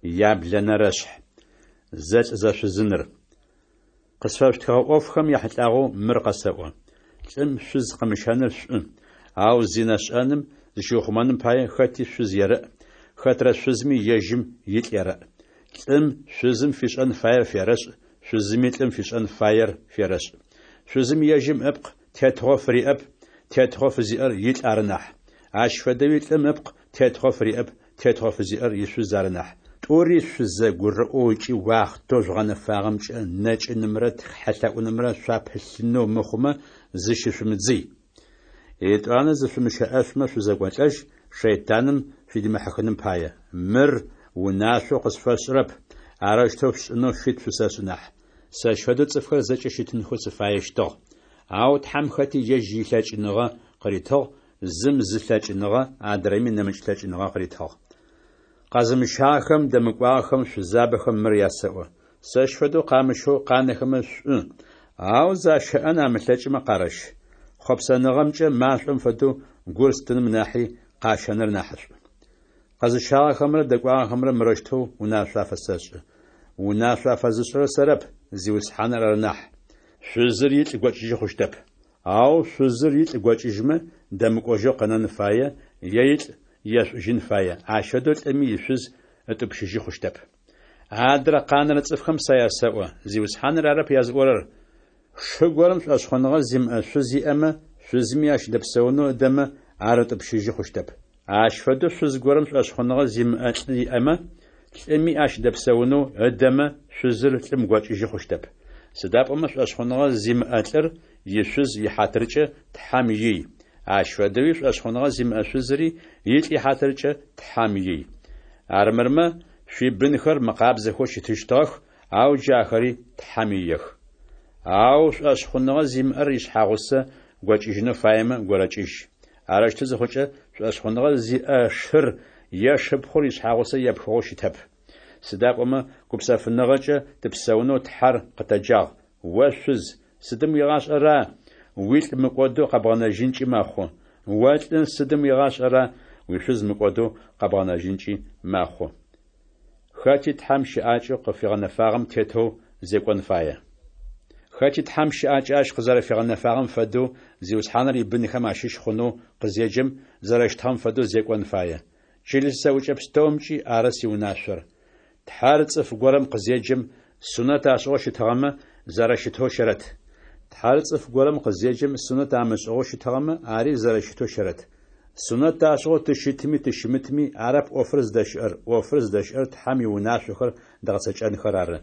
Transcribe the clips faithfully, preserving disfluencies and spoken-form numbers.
Яблэнэрэшъхь. Зэлӏзэшъузыныр. Къысфэшъутхыгъэ ӏофхэм яхьылӏагъэу мыр къэсэӏо: Лӏым шъуз къымыщэныр шӏу, ау зинэ шӏэным зыщиухъумэным пае, хэти шъуз ерэӏ, хэтрэ шъузми ежьым илӏ ерэӏ. Лӏым шъузым фишӏэн фаер ферэшӏ, шъузыми лӏым фишӏэн фаер ферэшӏ. Шъузым ежьым ыпкъ тетыгъо фыриӏэп, тетыгъо фызиӏэр илӏ ары нахь. Ащ фэдэуи лӏым ыпкъ тетыгъо фыриӏэп, тетыгъо фызиӏэр ишъуз ары нахь. Тӏури шъузэгурыӏоу ыкӏи уахътэу жъугъэнэфагъэмкӏэ нэкӏынымрэ тхьэлъэӏунымрэ шъуапылъынэу мыхъумэ зыщышъумыдзый. Етӏанэ зышъумыщэӏэшъумэ шъузэкӏолӏэжь, шэйтаным шъудимыхьыхыным пае. Мыр унашъоу къышъуфэсшӏырэп, арэущтэу шъушӏынэу фит шъусэшӏы нахь. Сэщ фэдэу цӏыфхэр зэкӏэ щытынхэу сыфаещтыгъ. Ау Тхьэм хэти ежь илъэкӏыныгъэ къыритыгъ, зым зы лъэкӏыныгъэ, адрэми нэмыкӏ лъэкӏыныгъэ къыритыгъ. Къэзымыщагъэхэм, дэмыкӏуагъэхэм, шъузабэхэм мыр ясэӏо: сэщ фэдэу къамыщэу къанэхэмэ шӏу, ау защэӏэн амылъэкӏмэ къарэщ. Хъопсэныгъэмкӏэ машӏом фэдэу гур стыным нахьи къащэныр нахьышӏу. Къэзыщагъэхэмрэ дэкӏуагъэхэмрэ мырэущтэу унашъо афэсэшӏы. Унашъо афэзышӏырэр сэрэп, Зиусхьаныр ары нахь. Шъузыр илӏ гокӏыжьы хъущтэп. Ау шъузыр илӏ гокӏыжьмэ, дэмыкӏожьэу къэнэн фае е илӏ ешӏужьын фае. Ащ фэдэу лӏыми ишъуз ытӏупщыжьы хъущтэп. Адрэ къанэрэ цӏыфхэм сэ ясэӏо, Зиусхьаныр арэп языӏорэр: шы горэм шӏошъхъуныгъэ зимыӏэ шъуз иӏэмэ, шъузми ащ дэпсэунэу ыдэмэ, ар ытӏупщыжьы хъущтэп. Ащ фэдэу шъуз горэм шӏошъхъуныгъэ зимыӏэ лӏы иӏэмэ, лӏыми ащ дэпсэунэу ыдэмэ, шъузыр лӏым гокӏыжьы хъущтэп. Сыда пӏомэ шӏошъхъуныгъэ зимыӏэ лӏыр ишъуз ихьатыркӏэ Тхьэм ий, ащ фэдэуи шӏошъхъуныгъэ зимыӏэ шъузри илӏ ихьатыркӏэ Тхьэм ий. Армырмэ, шъуибынхэр мыкъабзэхэу щытыщтыгъэх, ау джы ахэри Тхьэм иех. Ау шӏошъхъуныгъэ зимыӏэр ишъхьагъусэ гокӏыжьынэу фаемэ, горэкӏыжь. Арэущтэу зыхъукӏэ, шӏошъхъуныгъэ зиӏэ шыр е шыпхъур ишъхьагъусэ епхыгъэу щытэп. Сыда пӏомэ гупсэфыныгъэкӏэ тыпсэунэу Тхьэр къытэджагъ. О шъуз, сыдым уигъашӏэра, уилӏ мыкӏодэу къэбгъэнэжьынкӏи мэхъу. О лӏы, сыдым уигъашӏэра, уишъуз мыкӏодэу къэбгъэнэжьынкӏи мэхъу. Хэти Тхьэм щыӏакӏэу къыфигъэнэфагъэм тетэу зекӏон фае. Хэти Тхьэм щыӏакӏэ ащ къызэрэфигъэнэфагъэм фэдэу, Зиусхьаныр ибынхэм ащыщ хъунэу къызеджэм зэрэщытыгъэм фэдэу зекӏон фае. Чылыс зэӏукӏэ пстэумкӏи ары сиунашъор. Тхьэр цӏыф горэм къызеджэм, сунэт ашӏыгъэу щытыгъэмэ, зэрэщытэу щэрэт. Тхьэр цӏыф горэм къызеджэм, сунэт амышӏыгъэу щытыгъэмэ, ари зэрэщытэу щэрэт. Сунэт ашӏыгъэу тыщытми тыщымытми арэп ӏофыр зыдэщыӏэр, ӏофыр зыдэщыӏэр Тхьэм иунашъохэр дгъэцэкӏэнхэр ары.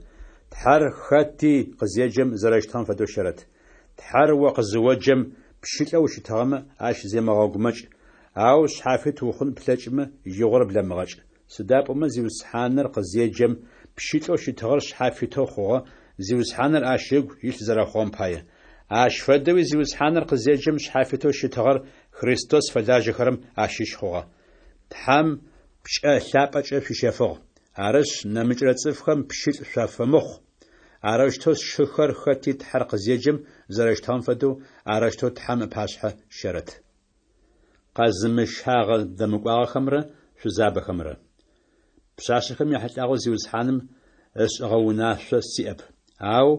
Тхьэр хэти къызеджэм зэрэщытыгъэм фэдэу щэрэт. Тхьэр о къызыоджэм, пщылӏэу ущытыгъэмэ, ащ земыгъэгумэкӏ, ау шъхьафит ухъун плъэкӏымэ, игъор блэмыгъэкӏ. Сыда пӏомэ Зиусхьаныр къызеджэм, пщылӏэу щытыгъэр шъхьафитэу хъугъэ, Зиусхьаныр ащ ыгу илъ зэрэхъугъэм пае. Ащ фэдэуи Зиусхьаныр къызеджэм шъхьафитэу щытыгъэр Христос фэлажьэхэрэм ащыщ хъугъэ. Тхьэм пкӏэ лъапӏэкӏэ шъуищэфыгъ. Арышъ, нэмыкӏрэ цӏыфхэм пщылӏ шъуафэмыхъу. Арэущтэу сшыхэр хэти Тхьэр къызеджэм зэрэщытыгъэм фэдэу, арэущтэу Тхьэм ыпашъхьэ щэрэт. Къэзымыщагъэ дэмыкӏуагъэхэмрэ шъузабэхэмрэ. Пшъашъэхэм яхьылӏагъэу Зиусхьаным ышӏыгъэ унашъо сиӏэп. Ау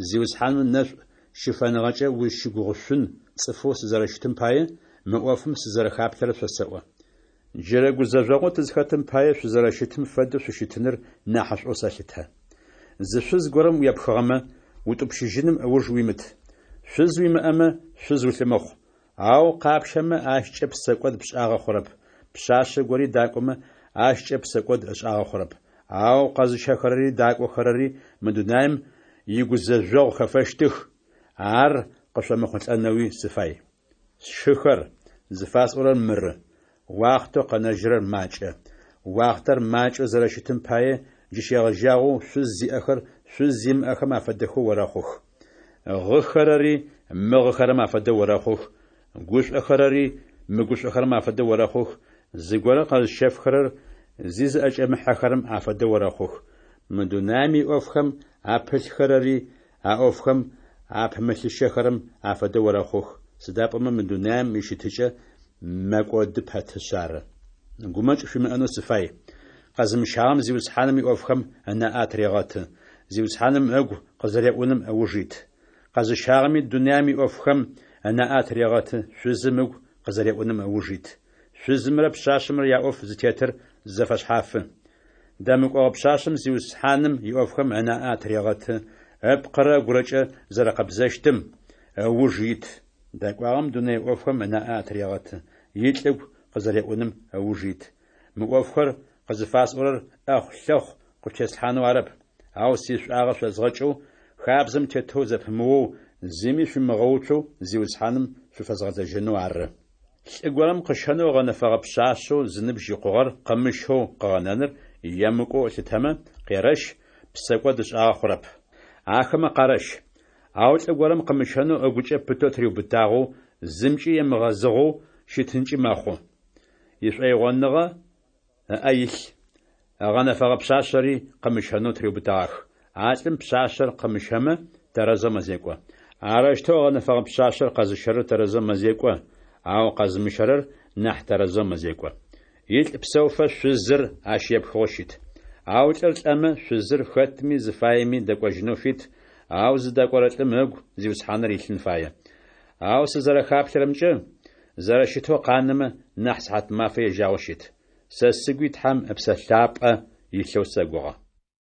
Зиусхьаным ынэшӏу щыфэныгъэкӏэ узщыгугъышъун цӏыфэу сызэрэщытым пае, мы ӏофым сызэрэхаплъэрэр шъосэӏо. Джырэ гузэжъогъоу тызхэтым пае шъузэрэщытым фэдэу шъущытыныр нахьышӏоу сэлъытэ. Зы шъуз горэм уепхыгъэмэ, утӏупщыжьыным ыуж уимыт. Шъуз уимыӏэмэ, шъуз улъымыхъу. Ау къапщэмэ, ащкӏэ псэкӏод пшӏагъэ хъурэп. Пшъашъэ гори дакӏомэ, ащкӏэ псэкӏод ышӏагъэ хъурэп. Ау къэзыщэхэрэри дакӏохэрэри мы дунаим игузэжъогъу хэфэщтых, ар къышъомыхъулӏэнэуи сыфай. Сшыхэр, зыфасӏорэр мыры: уахътэу къэнэжьырэр макӏэ. Уахътэр макӏэу зэрэщытым пае, джы щегъэжьагъэу шъуз зиӏэхэр шъуз зимыӏэхэм афэдэхэу орэхъух. Гъыхэрэри мыгъыхэрэм афэдэу орэхъух, гушӏохэрэри мыгушӏохэрэм афэдэу орэхъух, зыгорэ къэзыщэфхэрэр зи зыӏэкӏэмыхьэхэрэм афэдэу орэхъух. Мы дунаим иӏофхэм апылъхэрэри а ӏофхэм апымылъыщэхэрэм афэдэу орэхъух, сыда пӏомэ мы дунаим ищытыкӏэ мэкӏоды пэтышъ ары. Гумэкӏ шъуимыӏэнэу сыфай. Къэзымыщагъэм Зиусхьаным иӏофхэм ынаӏэ атырегъэты, Зиусхьаным ыгу къызэреӏуным ыуж ит. Къэзыщагъэми дунаем иӏофхэм ынаӏэ атырегъэты, шъузым ыгу къызэреӏуным ыуж ит. Шъузымрэ пшъашъэмрэ яӏоф зытетыр зэфэшъхьафы. Дэмыкӏогъэ пшъашъэм Зиусхьаным иӏофхэм ынаӏэ атырегъэты, ыпкъырэ ыгурэкӏэ зэрэкъэбзэщтым ыуж ит. Дэкӏуагъэм дунэе ӏофхэм ынаӏэ атырегъэты, илӏ ыгу къызэреӏуным ыуж ит. Мы ӏофхэр къызыфасӏорэр ӏэхъулъэхъу къышъутеслъхьанэу арэп, ау сишӏуагъэ шъозгъэкӏэу, хабзэм тетэу зэпымыоу, зыми шъуимыгъэуцоу Зиусхьаным шъуфэзгъэлэжьэнэу ары. Лӏы горэм къыщэнэу ыгъэнэфэгъэ пшъашъэу зыныбжь икъугъэр къымыщэу къыгъэнэныр емыкӏоу ылъытэмэ, къерэщ, псэкӏод ышӏагъэ хъурэп. Ахэмэ къарэщ. Ау лӏы горэм къымыщэнэу ыгукӏэ пытэу тыриубытагъэу, зымкӏи емыгъэзыгъэу щытынкӏи мэхъу. Ишӏоигъоныгъэ ыӏэ илъ, ыгъэнэфэгъэ пшъашъэри къымыщэнэу тыриубытэгъах. А лӏым пшъашъэр къымыщэмэ, тэрэзэу мэзекӏо. Арэущтэу ыгъэнэфэгъэ пшъашъэр къэзыщэрэр тэрэзэу мэзекӏо, ау къэзымыщэрэр нахь тэрэзэу мэзекӏо. Илӏ псэуфэ шъузыр ащ епхыгъэу щыт. Ау лӏыр лӏэмэ, шъузыр хэтми зыфаеми дэкӏожьынэу фит, ау зыдэкӏорэ лӏым ыгу Зиусхьаныр илъын фае. Ау сызэрэхаплъэрэмкӏэ, зэрэщытэу къанэмэ, нахь сыхьатмафэ ежьагъэу щыт. Сэ сыгуи Тхьэм Ыпсэ Лъапӏэ илъэу сэгугъэ.